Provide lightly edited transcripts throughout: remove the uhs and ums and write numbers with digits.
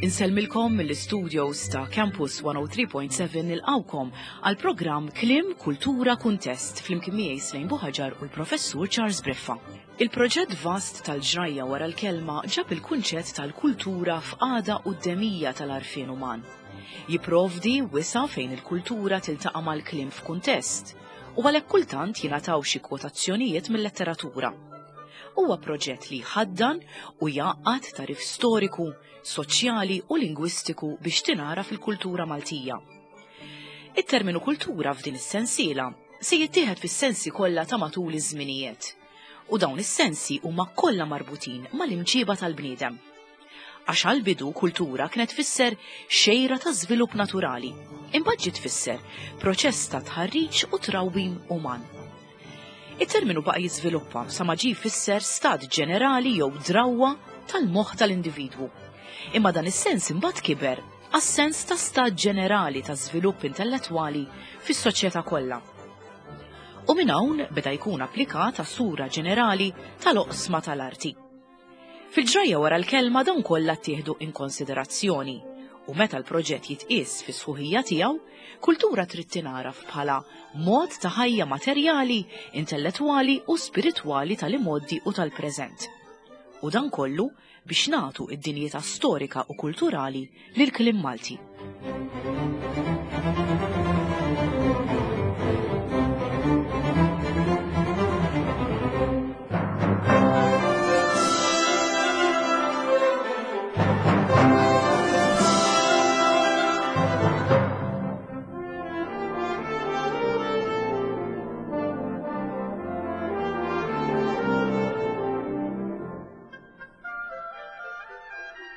Insellmilkom mill-istudios ta' Campus 103.7 nilqawkom għal programm Klim Kultura Kuntest flimkien miegħi Slejn Buħaġar u l-Professur Charles Briffa. Il-proġett vast tal-ġrajja wara l-kelma ġab il-kunċett tal-kultura f'qagħda quddemija tal-għarfien uman. Jipprovdi wisa' fejn il-kultura tiltaqa' mal-kliem f'kuntest u għalhekk kultant jingħataw xi kwotazzjonijiet mil-letteratura. Huwa proġett li jħaddan u jgħaqqad tagħrif storiku, soċjali u lingwistiku biex tingħaraf il-kultura Maltija. It-terminu kultura f'din is-sensiela se jittieħed fis-sensi kollha ta' matul iż-żminijiet u dawn is-sensi huma kollha marbutin mal-imġiba tal-bniedem. Għax għall-bidu kultura kienet tfisser xejra ta' żvilupp naturali, imbagħad ġiet tfisser proċess ta' tħarriġ u trawwim uman. It-terminu baqa' jiżviluppa sa ma ġie jfisser stat ġenerali jew drawwa tal-moħħ tal-individwu. Imma dan is-sens imbagħad kiber għas-sens ta' stat ġenerali ta' żvilupp intellettwali fis-soċjetà kollha. U minn hawn beda jkun applikat għas-sura ġenerali tal-oqsma tal-arti. Fil-ġrajja wara l-kelma dawn kollha ttieħdu in konsiderazzjoni u meta l-proġett jitqies fis-sħuħija tiegħu, kultura trid tingħaraf bħala mod ta' ħajja materjali, intellettwali u spiritwali tal-imgħoddi u tal-preżent. U dan kollu biex nagħtu id-dinjità storika u kulturali lill-kliem Malti.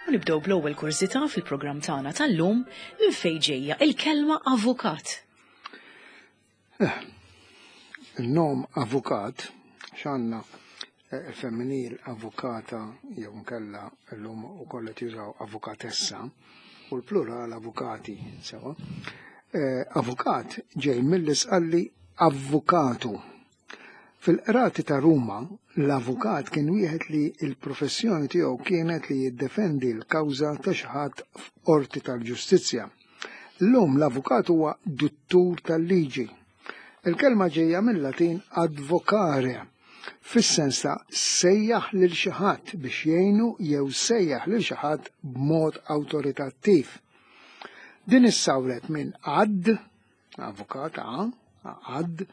U nibdew bl-ewwel kurżità fil-programm tagħna tal-lum minn fejn ġejja il-kelma avukat. Eh, il-nom avukat x'għandna eh, il-femminil avukata jew nkella llum ukoll qed jużaw avukatessa u l-plural avukati sewa. Eh, avukat ġej mill-isqalli avukatu Fil-qrati ta' Ruma, l-avukat kien wieħed li l-professjoni tiegħu kienet li jiddefendi l-kawża ta' xi ħadd f'qorti tal-ġustizzja. Illum l-avukat huwa duttur tal-liġi. Il-kelma ġejja mil-Latin advocare, fis-sens ta' sejjaħ lil xi ħadd biex jgħinu jew sejjaħ lil xi ħadd b'mod awtoritattiv. Din issawret minn ad, avukat a, ad,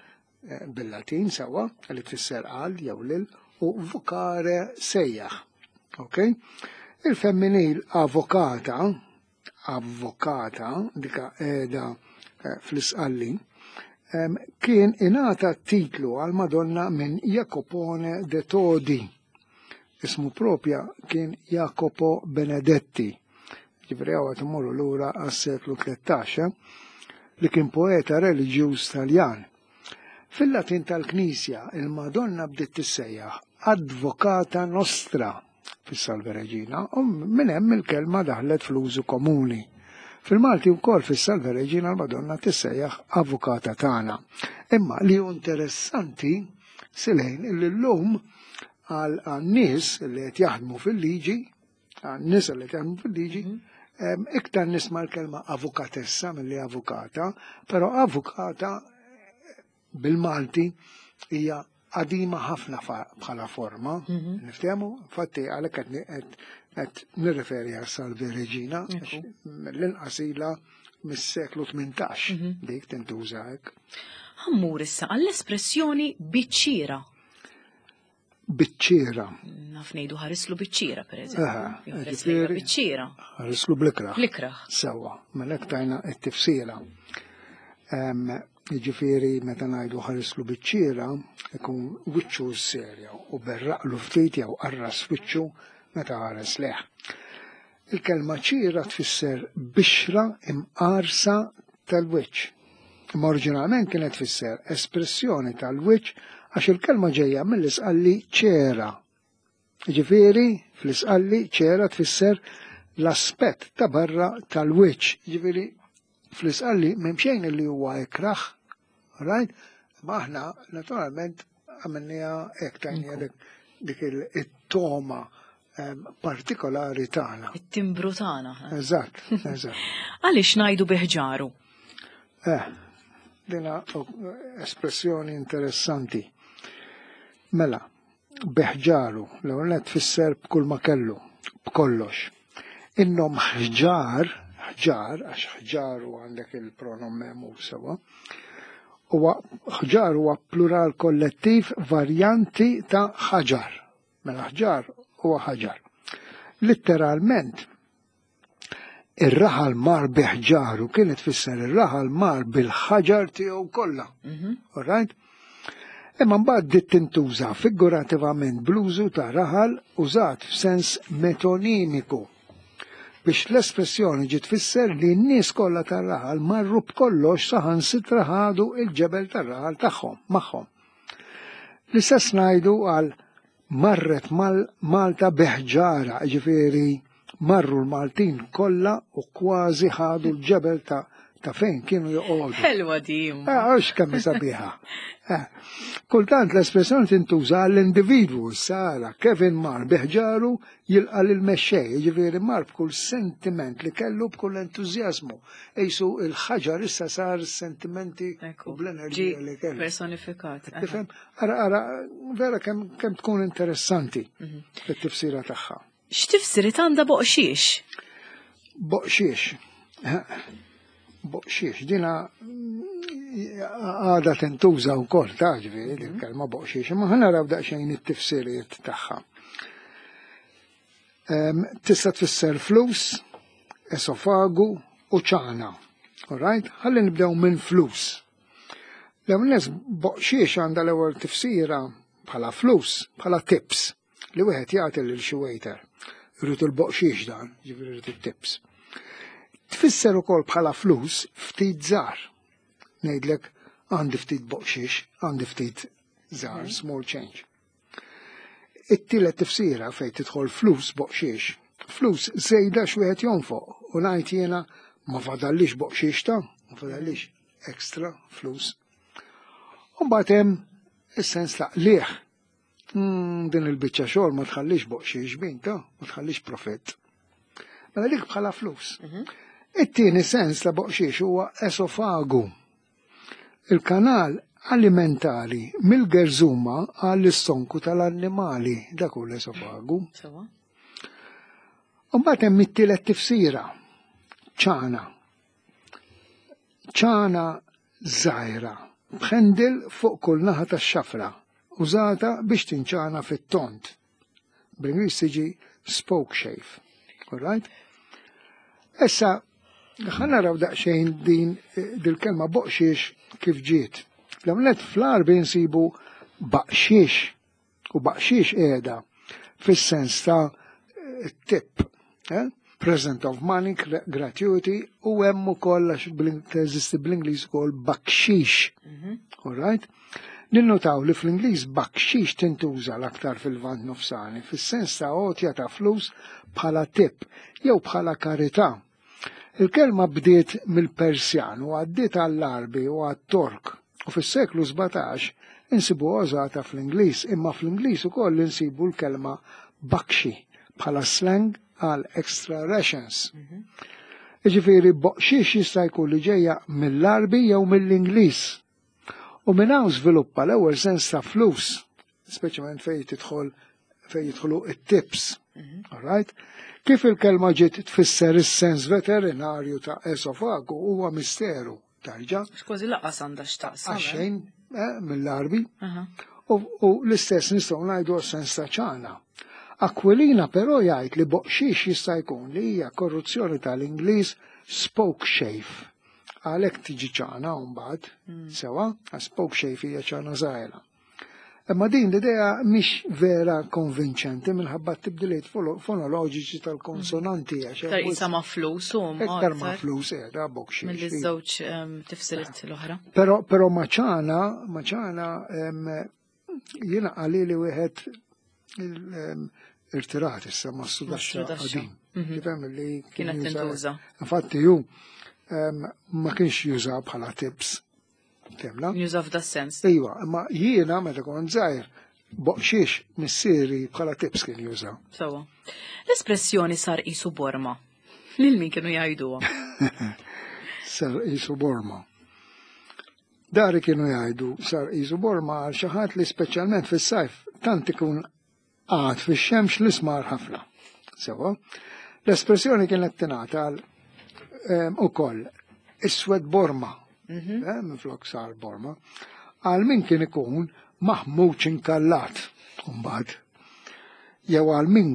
Eh, bil-Latin sewwa li tfisser għal jew lil u vocare sejjaħ. Ok? Il-femminil avokata, avokata, dika qiegħda eh, fl-isqalli, kien ingħata titlu għal Madonna minn Jacopone de Todi. Ismu propja kien Jacopo Benedetti. Ġifri għaw għat lura għas-seklu 13, eh, li kien poeta reliġjuż Taljan. Fil-Latin tal-Knisja, il-Madonna bdiet tissejjaħ Advocata Nostra fis-Salve Regina u minn hemm il-kelma daħlet fl-użu komuni. Fil-Malti wkoll fis-Salve Regina l-Madonna tissejjaħ Avukata tagħna. Imma li hu interessanti silejn illi llum għal nies li qed jaħdmu fil-liġi, għal nies li qed jaħdmu fil-liġi, mhm. iktar nisma' l-kelma avukatessa milli avukata, però avukata bil-Malti hija qadima ħafna bħala forma, mhm. niftehmu, infatti għalhekk qed nirreferi għal Salve Regina, l-inqas ilha mis-seklu 18 mhm. dik tintuża hekk. Ħammur issa għall-espressjoni biċċiera. Biċċiera. Naf ngħidu ħarislu biċċiera pereżempju. Biċċiera. Ħarislu blikraħ. Blikraħ. Sewwa, mela hekk tajna t-tifsira. Jiġifieri meta ngħidu ħarislu biċċiera, ikun wiċċu serja u berraqlu ftit jew qarras wiċċu meta ħares leħ. Il-kelma ċira tfisser bixra imqarsa tal-wiċċ. Imma oriġinalment kienet tfisser espressjoni tal-wiċċ għax il-kelma ġejja mill-isqalli ċera. Ġifieri, fl-isqalli ċera tfisser l-aspett ta' barra tal-wiċċ. Ġifieri, fl-isqalli m'hemm xejn li huwa ikrah, right? Ma aħna naturalment għamilniha hekk tajniha dik it-toma. partikolari tagħna. It-timbru tagħna. Eżatt, eżatt. Għaliex ngħidu biħġaru? Eh, dina espressjoni interessanti. Mela, biħġaru, l-ewwel tfisser b'kull ma kellu, b'kollox. Innom ħġar, ħġar, għax ħġaru għandek il-pronom memu sewa, huwa ħġar huwa plural kollettiv varjanti ta' ħaġar. Mela ħġar huwa ħaġar. Litteralment, ir-raħal mar biħġaru kienet tfisser ir-raħal mar bil-ħaġar tiegħu kollha. All right? Imma mbagħad dit tintuża figurativament bl-użu ta' raħal użat f'sens metonimiku biex l-espressjoni ġiet tfisser li n-nies kollha tar-raħal marru b'kollox saħansitra ħadu il-ġebel tar-raħal tagħhom magħhom. L-istess ngħidu għal marret Malta biħġara, ġifieri marru l-Maltin kollha u kważi ħadu l-ġebel ta' ta' fejn kienu joqogħdu. Ħelwa di. Għax kemm sabiħa. Eh, kultant l-espressjoni tintuża għall-individwu, sara, Kevin mar biħġaru jilqa' lil mexxej, jiġifieri mar b'kull sentiment li kellu b'kull entużjażmu. Ejsu il-ħaġar issa sar sentimenti u bl-enerġija li kellu. Personifikat. Tifhem? Ara, ara, vera kemm kem tkun interessanti it-tifsira tagħha. X'tifsiriet għandha boqxiex? Boqxiex. Boqxiex, dina għada tintuża wkoll ta' ġifieri il-kelma boqxiex, imma ħa naraw daqsxejn it-tifsiriet tagħha. Tista' tfisser flus, esofagu u ċana. All right? Ħalli nibdew minn flus. L-ewwel boqxiex għandha l-ewwel tifsira bħala flus, bħala tips li wieħed jagħti lil xi waiter. Irrid il-boqxiex dan, ġifieri irrid it-tips. Tfisser ukoll bħala flus ftit żgħar. Ngħidlek għandi ftit boqxiex, għandi ftit żgħar, small change. It-tielet tifsira fejn tidħol flus boqxiex. Flus żejda x'wieħed jonfoq u ngħid jiena ma fadallix boqxiex ta' ma fadallix extra flus. U mbagħad hemm is-sens ta' qligħ. Din il-biċċa xogħol ma tħallix boqxiex bin ta' ma tħallix profitt. Mela dik bħala flus. It-tieni sens ta' boqxiex huwa esofagu. Il-kanal alimentari mill-gerżuma għall-istonku tal-annimali, dak hu l-esofagu. Sewa. Mbagħad hemm it-tielet tifsira, ċana. Ċana żgħira, b'handle fuq kull naħa tax-xafra, użata biex tinċana fit-tont. Bl-Ingliż tiġi spoke shave. All right? Issa, ħa naraw daqsxejn din dil-kelma boqxiex kif ġiet. L-għamlet fl-Għarbi nsibu baqxiex u baqxiex qiegħda fis-sens ta' tip, eh? Present of money, gratuity, u hemm ukoll għax teżisti bl-Ingliż ukoll bakxix. All right? Ninnotaw li fl-Ingliż bakxix tintuża l-aktar fil-Lvant Nofsani, fis-sens ta' għotja ta' flus bħala tip jew bħala karità. Il-kelma bdiet mill-Persjan u għaddiet għall-Għarbi u għat-Tork u fis-seklu 17 insibu użata fl-Ingliż, imma fl-Ingliż ukoll insibu l-kelma bakxi bħala slang għal extra rations. Iġifieri boqxiex jista' jkun li ġejja mill-Għarbi jew mill-Ingliż. U minn hawn żviluppa l-ewwel sens ta' flus, speċjalment fejn tidħol fejn jidħlu it-tips. All right? Kif il-kelma ġiet tfisser is-sens veterinarju ta' esofagu huwa misteru tarġa' Kważi lanqas għandha x'taqsam. għaxejn mill-Għarbi. U l-istess nistgħu ngħidu għas-sens ta' ċana. Aquilina però jgħid li boqxiex jista' jkun li hija korruzzjoni tal-Ingliż spoke shave. Għalhekk tiġi ċana mbagħad, sewa, għax spoke shave hija ċana żgħira. Imma din l-idea mhix vera konvinċenti minħabba t-tibdiliet fonoloġiċi tal-konsonanti. Għax Iktar isa ma' flus u Iktar ma' flus qiegħda boqxiex. Mill-żewġ tifsiriet l-oħra. Però maċana, maċana jiena qalili wieħed irtirat issa ma' sudaxxa Sudaxxa. qadim. Tifhem li kien Kienet juża- tintuża. Infatti ju ma kienx juża bħala tips. Temla? Juża f'da sens. Iva, imma jiena meta kont żgħir Boqxiex missieri bħala tips kien juża. Sewa. L-espressjoni sar qisu borma. Lil min kienu jgħiduha? Sar qisu borma. Dari kienu jgħidu sar qisu borma għal xi ħadd li speċjalment fis-sajf tant ikun qagħad fix-xemx li smar ħafna. Sewa. L-espressjoni kienet tingħata għal ukoll iswed borma, minflok sar borma, għal min kien ikun maħmuġ inkallat mbagħad. Jew għal min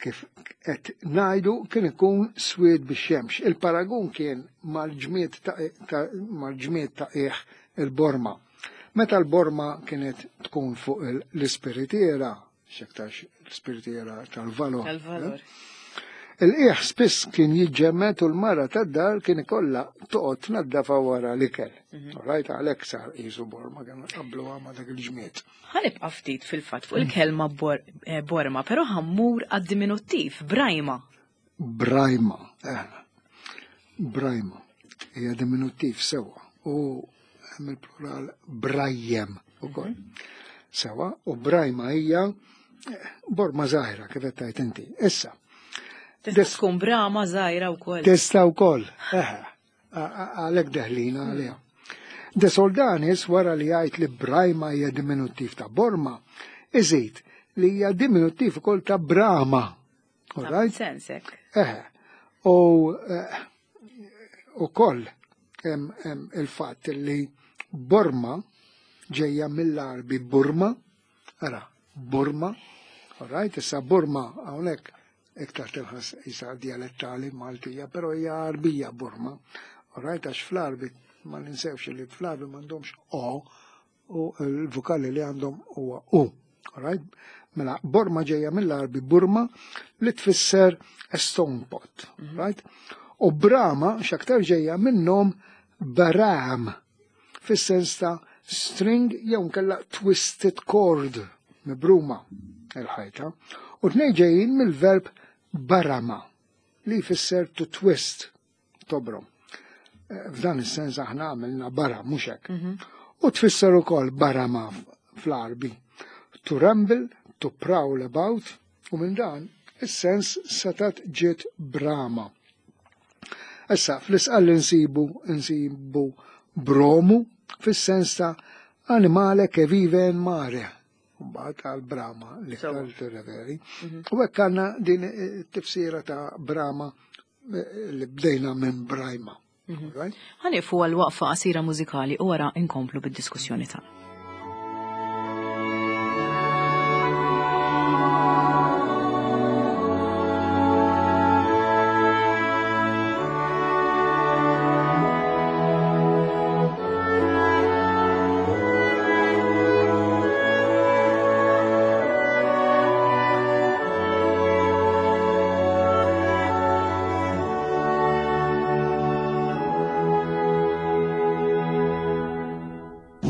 kif qed ngħidu kien ikun swied bix-xemx. Il-paragun kien mal-ġmied ta' qiegħ il-borma. Meta l-borma kienet tkun fuq l-ispiritiera, x'aktarx l-ispiritiera tal-valor. Tal-valor. Il-qiegħ spiss kien jiġġemmed u l-mara tad-dar kien ikollha toqgħod tnaddafa wara l-ikel. Rajt għalhekk sar qisu borma kienu qabluha ma' dak il-ġmied. Ħanibqa' ftit fil-fatt fuq il-kelma borma, però ħammur għad-diminuttiv, brajma. Brajma, brajma. Hija diminuttiv sewwa u hemm il-plural brajjem ukoll. Sewwa, u brajma hija borma żgħira kif qed tgħid inti. Issa. Tista' tkun brama żgħira wkoll. Tista' wkoll, għalhekk deħlina għaliha. De Soldanis wara li jgħid li brajma hija diminuttiv ta' borma, iżid li hija diminuttiv ukoll ta' brama. All right? Sensek. U ukoll hemm il-fatt li borma ġejja mill-Arbi Burma, ara, Burma, all right, issa Burma hawnhekk iktar tilħas isa dialettali Maltija, però hija Arbija Burma, all right, għax fl-Arbi ma ninsewx li fl-Arbi m'għandhomx O u l-vokali li għandhom huwa U, all right? Mela, Borma ġejja mill-Arbi Burma li tfisser a stone pot, right? U Brahma x'aktar ġejja minnhom Baram, fis-sens ta' string jew nkella twisted cord, mibruma il-ħajta. U tnej ġejjin mill-verb barama li jfisser to twist, tobrom. F'dan is-sens aħna għamilna bara, mhux hekk. U tfisser ukoll barama fl-Arbi. To ramble, to prowl about, u minn dan is-sens setat ġiet brama. Issa, fl-isqal nsibu bromu fis-sens ta' animale che vive in mare. Mbagħad għal brama li ktar tirreferi. U hekk għandna din it-tifsira ta' brama li bdejna minn brajma. Right? Ħanifu għal waqfa qasira mużikali u wara inkomplu bid-diskussjoni tagħna.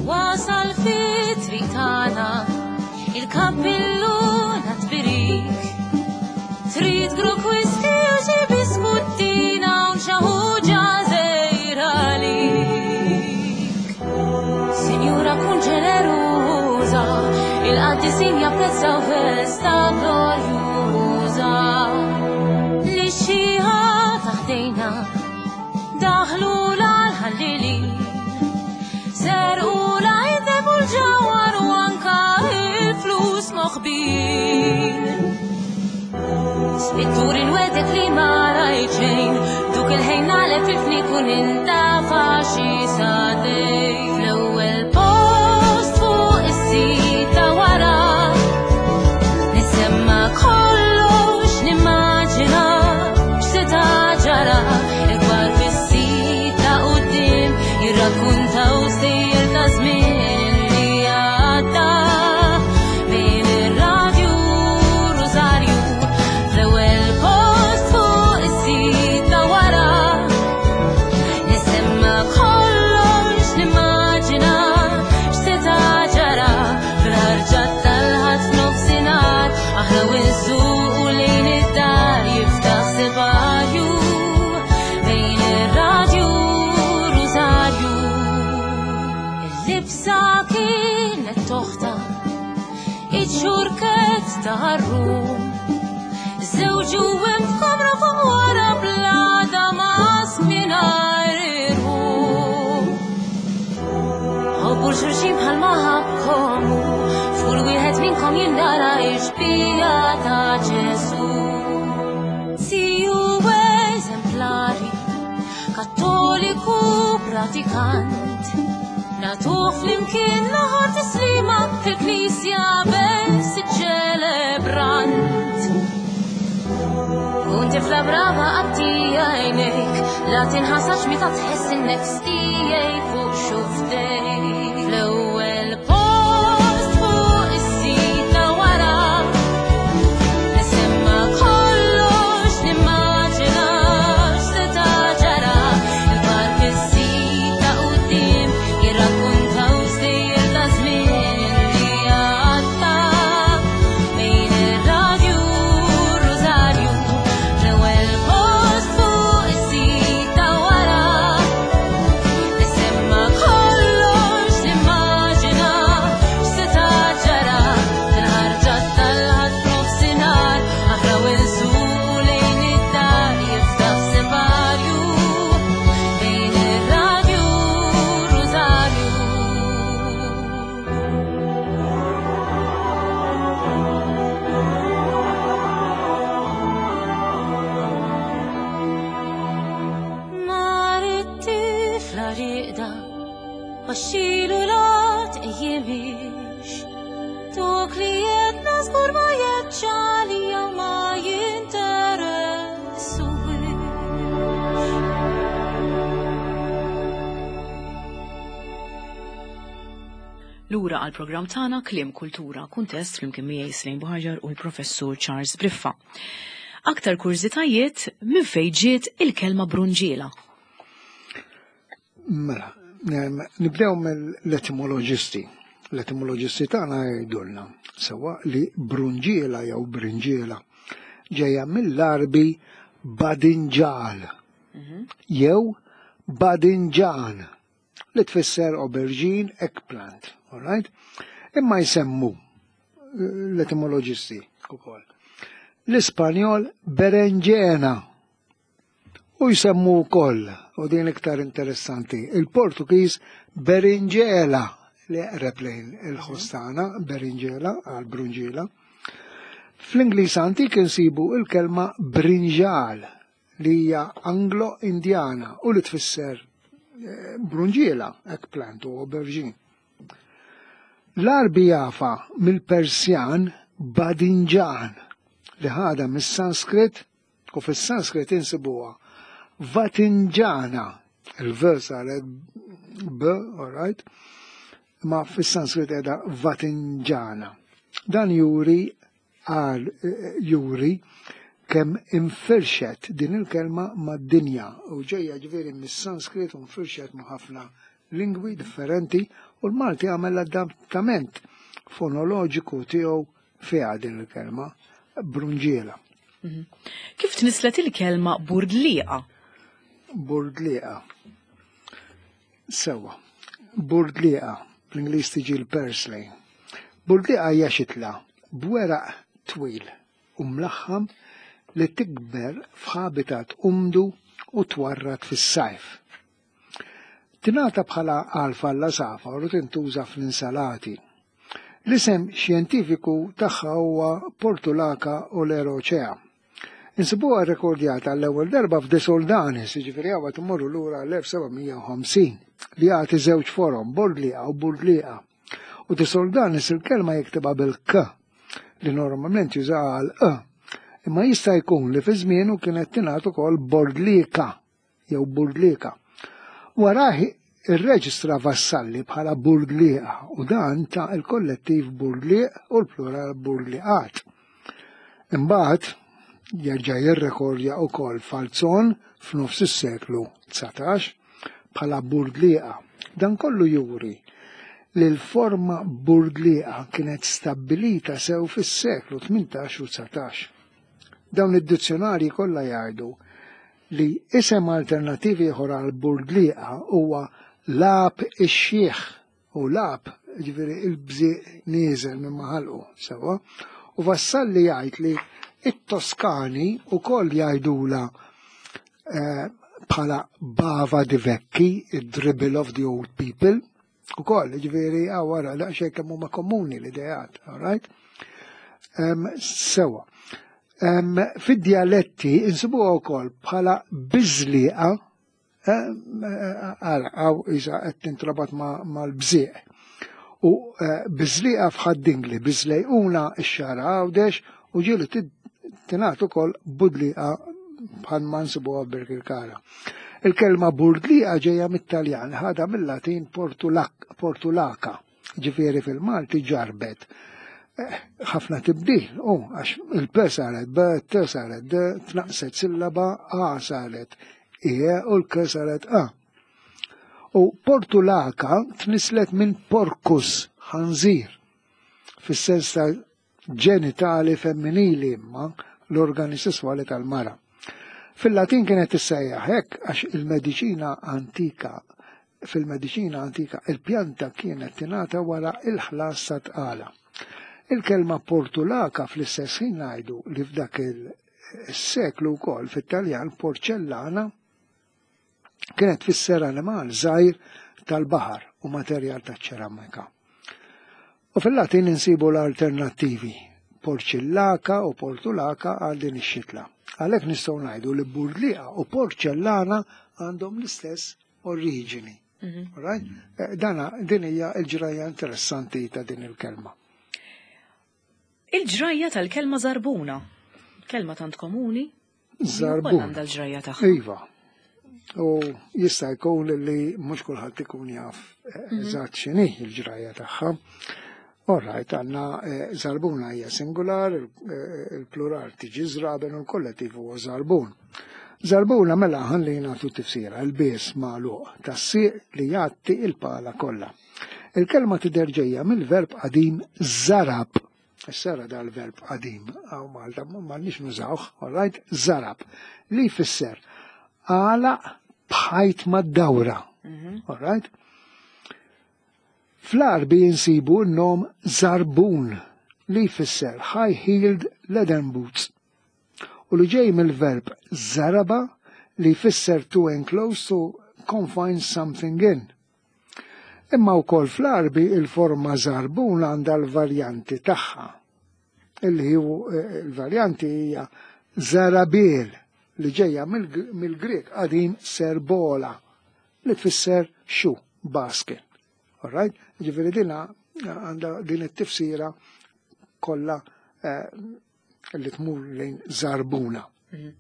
Wasal fit-triq tagħna il-kappilluna tbirik. Trid grok whisky u xi biskuttina u xi ħuġa żgħira għalik. Sinjura kun ġeneruża, il-qaddisin japprezzaw festa glorjuża. Li xieħa taħdejna daħlu l-ħallili. Serqu l-għajdeb u l-ġawhar u anka il-flus moħbin. Spittur inwedek li ma rajt xejn, duk il-ħin nagħlef il-fnik u nintafa xi sadej. Fl-ewwel post fuq is-sita wara, nisemma kollox nimmaġina x'seta' ġara. Il-kbar fis-sita quddiem jirrakkuntaw sejjer ta' żmien li għadda. Bejn ir-radju Rosario, fl-ewwel post fuq is-sita wara, nisemma kollox nimmaġina x'seta' ġara. Fil-ħarġa tal-ħadd f'nofsinhar, aħna u nsuqu lejn id-dar jiftaħ separju bejn ir-radju Rosario. Il-libsa kienet toħta Ftit xurket ta' ħarrum. Żewġ u hemm f'kamra fuq wara blada mas mingħajr irħu. Ħobbu l-xulxin bħalma ħabkom hu, f'kull wieħed minnkom jindara x-xbieha ta' Ġesù. Siju eżemplari, kattoliku pratikant, nagħtuh flimkien l-aħħar tislima fil-knisja bes iċ-ċelebrant. Kun tifla brava għatti għajnejk, la tinħasax meta tħess in-nefs tiegħi fuq xuftejk. Fl-ewwel post fuq is-sit ta' wara, nisemma kollox nimmaġinax seta' ġara. Il-park is-sit ta' quddiem jirrakkuntaw stejjer ta' żmien li għadda. Bejn ir-radju u r-rużarju, fl-ewwel post fuq is-sit ta' wara, nisemma kollox nimmaġina x'seta' ġara. Fil-ħarġa tal-ħadd nofsinhar, aħraw insuqu lejn id-dar jiftaħ separju. Bejn ir-radju u r-rużarju. Nar it-tifla riqda, baxxilu la tqejjimix. Dak li jedna żgur ma jeċċali jew ma jinteressuwix. Lura għal programm tagħna Kliem Kultura Kuntest flimkien miegħi Slejn Buħaġar u l-Professur Charles Briffa. Aktar kurżitajiet minn fejn ġiet il-kelma brunġiela. Mela, nibdew mill-etimoloġisti. L-etimoloġisti tagħna jgħidulna sewwa li brunġiela jew brinġiela ġejja mill-Arbi badinġal jew badinġan li tfisser aubergine eggplant, all right? Imma jsemmu l-etimoloġisti ukoll l-Ispanjol berenġena u jsemmu wkoll, u din iktar interessanti, il-Portugiż berinġela li eqreb lejn il-ħostana, berinġela għal brunġiela. Fl-Ingliż antik insibu il-kelma brinġal li hija Anglo-Indjana u li tfisser brunġiela, eggplant u aubergine. L-Arbi jafa mill-Persjan badinġan li ħada mis-Sanskrit u fis-Sanskrit insibuha Vatinġana, il-V saret B, all right, ma fis-Sanskrit qiegħda Vatinġana. Dan juri għal juri kemm infirxet din il-kelma mad-dinja u ġejja ġifieri mis-Sanskrit u nfirxet ma' ħafna lingwi differenti u l-Malti għamel l-adattament fonoloġiku tiegħu fiha din il-kelma brunġiela. Kif tnislet il-kelma burdliqa? Burdliqa. Sewa. Burdliqa, bl-Ingliż tiġi l-parsley. Burdliqa hija xitla b'weraq twil u mlaħħam li tikber f'habitat umdu u twarrad fis-sajf. Tingħata bħala alfa l-għasafar u tintuża fl-insalati. L-isem xjentifiku tagħha huwa Portulaca oleracea. Insibuha rrekordjata l-ewwel darba f'De Soldanis, jiġifieri hawn qed immorru lura l-1750, li jagħti żewġ forom, bordliqa u burdliqa. U De Soldanis il-kelma jiktibha bil-K, li normalment jużaha għal E. Imma jista' jkun li fi żmienu kienet tingħad ukoll bordlika jew burdlika. Warah irreġistra Vassalli bħala burdliqa u dan ta' il-kollettiv burdliq u l-plural burdliqat. Imbagħad jerġa' jirrekordja wkoll Falzon f'nofs is-seklu 19 bħala burdliqa. Dan kollu juri li l-forma burdliqa kienet stabbilita sew fis-seklu 18 u 19. Dawn id-dizzjonarji kollha jgħidu li isem alternattiv ieħor għal burdliqa huwa lab ix-xiħ, u lab ġifieri il-bżieq nieżel minn maħalqu, sewwa. U Vassalli jgħid li it-Toskani wkoll jgħidula eh, bħala bava di vecchi, il-dribble of the old people, u koll, ġveri, għawara, daqxej kemm huma komuni l-idejat, all right? Um, sewa. Um, Fid-dialetti insibuha wkoll bħala biżliqa Ara, għaw iża qed tintrabat mal-bżieq. U eh, biżliqa f'ħaddingli, biżlejquna x-xara għawdex u ġieli tingħat ukoll budliqa bħal ma nsibuha Birkirkara. Il-kelma burdliqa ġejja mit-Taljan, ħadha mill-Latin portulaka, ġifieri fil-Malti ġarbet eh, ħafna tibdil, u għax il-P saret B, T saret D, tnaqset sillaba, A saret E u l-K saret A. U portulaka tnislet minn porcus, ħanżir, fis-sens ta' ġenitali femminili imma l-organi sesswali tal-mara. Fil-Latin kienet tissejjaħ hekk għax il-mediċina antika fil-mediċina antika il-pjanta kienet tingħata wara il-ħlas ta' tqala. Il-kelma portulaka fl-istess ħin ngħidu li f'dak il-seklu wkoll fit-Taljan porċellana kienet tfisser animal żgħir tal-baħar u materjal taċ-ċeramika. U fil-Latin insibu l-alternattivi porċillaka u portulaka għal din ix-xitla. Għalhekk nistgħu ngħidu li burdliqa u porċellana għandhom l-istess oriġini. Mhm. Right? Eh, dana din hija l-ġrajja interessanti ta' din il-kelma. Il-ġrajja tal-kelma żarbuna. Kelma tant komuni. Żarbuna. Għandha l-ġrajja tagħha. Iva. U jista' jkun li mhux kulħadd ikun jaf eh, mhm. eżatt x'inhi l-ġrajja tagħha. All right, għandna eh, żarbuna hija singular, eh, il-plural tiġi żraben u l-kollettiv huwa żarbun. Żarbuna mela ħalli nagħtu tifsira, il-bies magħluq tas-sieq li jgħatti il-pala kollha. Il-kelma tidher ġejja mill-verb qadim zarab. Issa dal-verb qadim għaw Malta m'għandniex nużawh, all right, zarab, li jfisser għalaq bħajt mad-dawra. Mhm. All right? Fl-Għarbi insibu n-nom zarbun li jfisser high-heeled leathern boots u li ġej mill-verb zaraba li jfisser to enclose to confine something in. Imma wkoll fl-Għarbi il-forma zarbun għandha l-varjanti tagħha. Illi hu eh, l-varjanti hija zarabil li ġejja mill-Grieg qadim serbola li tfisser xu, basket. Alright? Ġifieri dina għandha din it-tifsira kollha eh, li tmur lejn zarbuna. Mhm.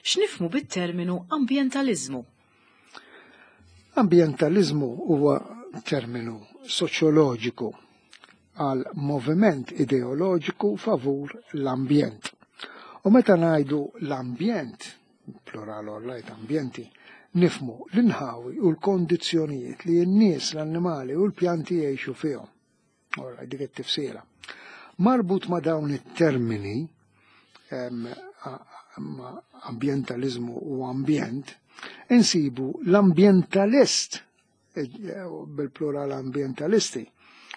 X'nifhmu bit-terminu ambjentaliżmu? Ambjentaliżmu huwa terminu soċjoloġiku għal moviment ideoloġiku favur l-ambjent. U meta ngħidu l-ambjent, plural all right, ambjenti, nifhmu l-inħawi u l-kondizzjonijiet li n-nies, l-annimali u l-pjanti jgħixu fihom. Ora, dik it-tifsira. Marbut ma' dawn it-termini, ma' ambjentaliżmu u ambjent, insibu l-ambjentalist, eh, bil-plural ambjentalisti,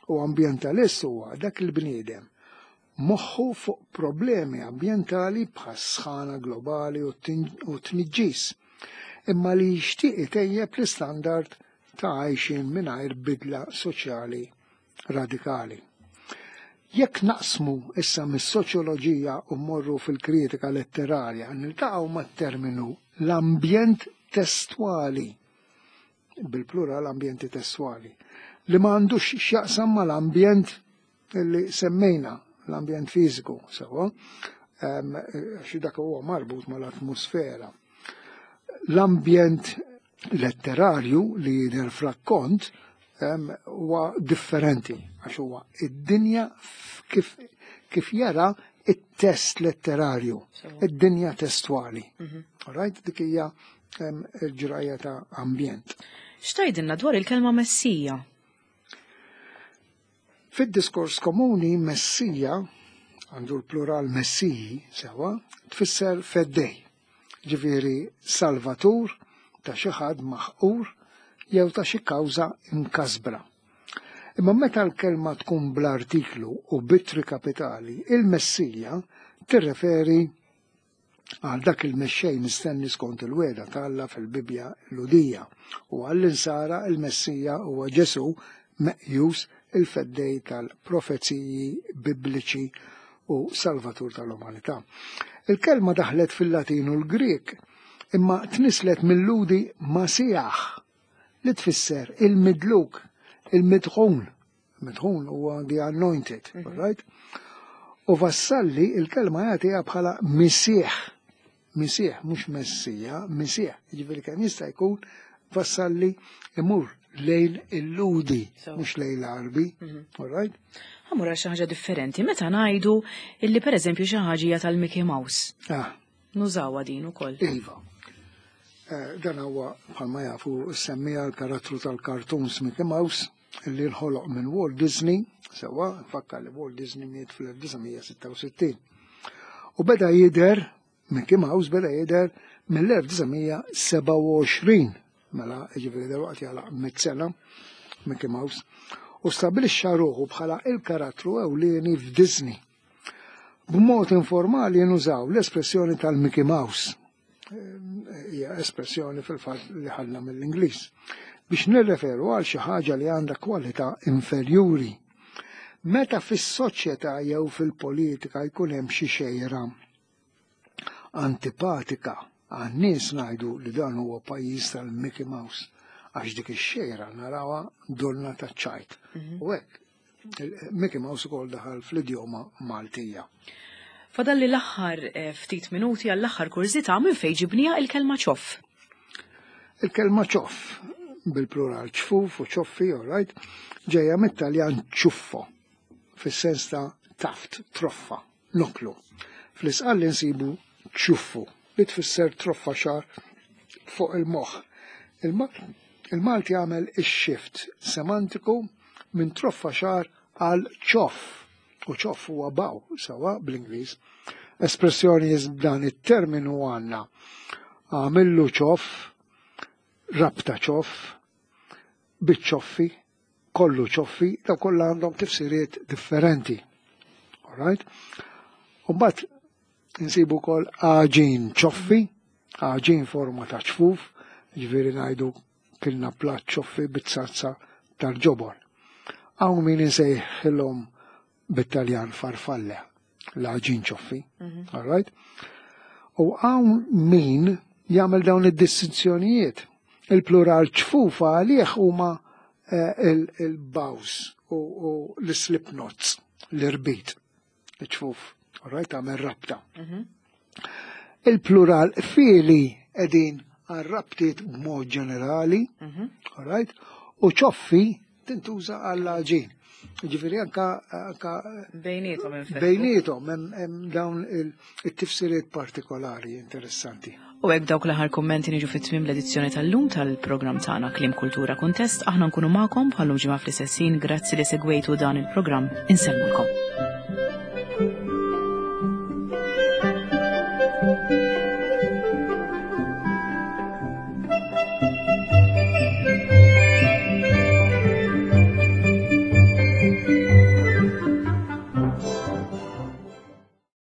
u ambjentalist huwa dak il-bniedem moħħu fuq problemi ambjentali bħas-sħana globali u t-tniġġis, imma li jixtieq itejjeb l-istandard ta' għajxien mingħajr bidla soċjali radikali. Jekk naqsmu issa mis-soċjoloġija u mmorru fil-kritika letterarja, niltaqgħu mat-terminu l-ambjent testwali, bil-plural ambjenti testwali, li ma għandux x'jaqsam mal-ambjent li semmejna, l-ambjent fiżiku, sewwa, xi dak huwa marbut mal-atmosfera. L-ambjent letterarju li jidher f'rakkont huwa differenti għax huwa id-dinja kif, kif jara it-test letterarju, id-dinja testwali. Mhm. Right? Dik hija il-ġrajja ta' ambjent. X'tgħidilna dwar il-kelma Messija? Fid-diskors komuni Messija, għandu l-plural Messiji, sewa, tfisser feddej, ġifieri salvatur ta' xi ħadd maħqur jew ta' xi kawża imkasbra. Imma meta l-kelma tkun bl-artiklu u b'ittri kapitali, il-Messija tirreferi għal dak il-mexxej mistenni skont il-wegħda ta' Alla fil-Bibbja Lhudija, u għall-Insara il-Messija huwa Ġesù meqjus il-feddej tal-profeziji bibliċi u salvatur tal-umanità. Il-kelma daħlet fil-Latin u l-Grieg imma tnisslet mil-Lhudi Masiah li tfisser il-midluk, il-midħun. Midħun huwa the anointed, right? U Vassalli il-kelma jagħtiha bħala misieħ. Misieħ, mhux messija, misieħ. Jiġifieri kemm jista' jkun Vassalli imur lejn il-Lhudi, mhux lejn l-Għarbi, all right? Ħa mmur għal xi ħaġa differenti meta ngħidu illi pereżempju xi ħaġa hija tal-Mickey Mouse. Nużawha din ukoll. Iva. Dan huwa bħalma jafu semmija l-karattru tal-cartoons Mickey Mouse li nħoloq minn Walt Disney, sewwa, nfakkar li Walt Disney miet fl-1966. U beda jidher, Mickey Mouse beda jidher mill-1927, mela jiġifieri dalwaqt jagħlaq mitt sena Mickey Mouse, u stabilixxa ruħu bħala il-karattru ewlieni f'Disney. B'mod informali nużaw l-espressjoni tal-Mickey Mouse. Hija espressjoni fil-fatt li ħadna mill-Ingliż biex nirreferu għal xi ħaġa li għandha kwalità inferjuri. Meta fis-soċjetà jew fil-politika jkun hemm xi xejra antipatika għan-nies ngħidu li dan huwa pajjiż tal-Mickey Mouse għax dik ix-xejra narawha donna taċ-ċajt. U hekk Mickey Mouse ukoll daħal fl-idjoma Maltija. Fadalli l-aħħar ftit minuti għall-aħħar kurżità minn fejn ġibniha il-kelma ċoff. Il-kelma ċoff, bil-plural ċfuf u ċoffi, all right, ġejja mit-Taljan ċuffo, fis-sens ta' taft, troffa, noklu. Fl-Isqalli nsibu ċuffu, li tfisser troffa xagħar fuq il-moħħ. Il-Malti għamel ix-shift semantiku minn troffa xagħar għal ċoff, u ċoff huwa baw, sewa bl-Ingliż. Espressjoni dan it-terminu għandna għamillu ċoff, rabta ċoff, biċ-ċoffi, kollu ċoffi, daw kollha għandhom tifsiriet differenti. All right? U mbagħad insibu wkoll għaġin ċoffi, għaġin forma ta' ċfuf, ġifieri ngħidu kilna platt ċoffi bit-sazza tal-ġobon. Hawn min insejħilhom bit-Taljan farfalle, l-għaġin ċoffi. All right? U hawn min jagħmel dawn id-distinzjonijiet. Il-plural ċfufa għalih huma il-baws u l-slip knots, l-irbit, ċfuf. All right, għamel rabta. Il-plural fili edin għal-rabtiet b'mod ġenerali, all right, u ċoffi tintuża għall-għaġin. Ġifieri anka Bejnietom infettu. Bejnietom hemm dawn it-tifsiriet partikolari interessanti. U hekk dawk l-aħħar kummenti niġu fit-tmiem l-edizzjoni tal-lum tal-programm tagħna Kliem Kultura Kuntest. Aħna nkunu magħkom bħallum ġimgħa fl-istess ħin. Grazzi li segwejtu dan il-programm. Insellmulkom.